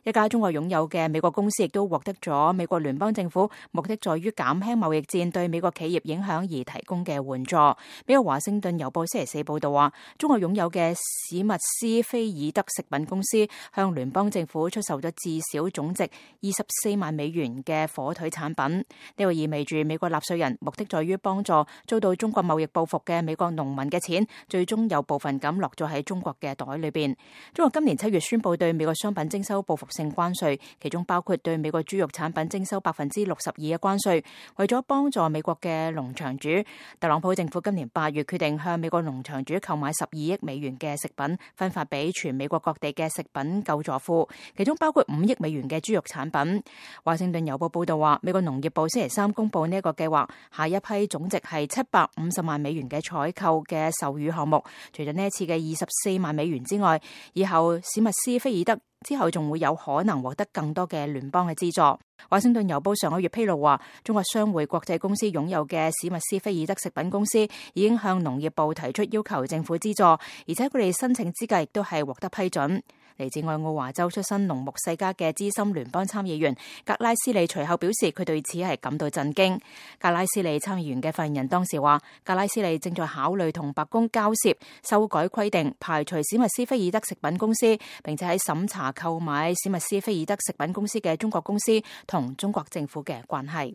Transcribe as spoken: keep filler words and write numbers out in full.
一家中國擁有嘅美國公司亦都獲得咗美國聯邦政府目的在於減輕貿易戰對美國企業影響而提供嘅援助。美國華盛頓郵報星期四報道話，中國擁有嘅史密斯菲爾德食品公司向聯邦政府出售咗至少總值二十四萬美元嘅火腿產品。呢個意味住美國納稅人目的在於幫助遭到中國貿易報復嘅美國農民嘅錢，最終有部分咁落咗喺中國嘅袋裏邊。中國今年七月宣布對美國商品徵收報復性關稅，其中包括對美國豬肉產品徵收百分之六十二嘅關稅。為咗幫助美國嘅農場主，特朗普政府今年八月決定向美國農場主購買十二億美元嘅食品，分發俾全美國各地嘅食品救助庫，其中包括五億美元嘅豬肉產品。華盛頓郵報報道話，美國農業部星期三公布呢一個計劃，下一批總值係七百五十萬美元嘅採購嘅授乳項目。除咗呢一次嘅二十四萬美元之外，以後史密斯菲爾德之後仲會有可能獲得更多嘅聯邦嘅資助。華盛頓郵報上個月披露話，中國商會國際公司擁有嘅史密斯菲爾德食品公司已經向農業部提出要求政府資助，而且佢哋申請資格亦都係獲得批准。嚟自愛奧華州出身農牧世家嘅資深聯邦參議員格拉斯利隨後表示，佢對此係感到震驚。格拉斯利參議員嘅發言人當時話，格拉斯利正在考慮同白宮交涉，修改規定，排除史密斯菲爾德食品公司，並且喺審查購買史密斯菲爾德食品公司嘅中國公司同中國政府嘅關係。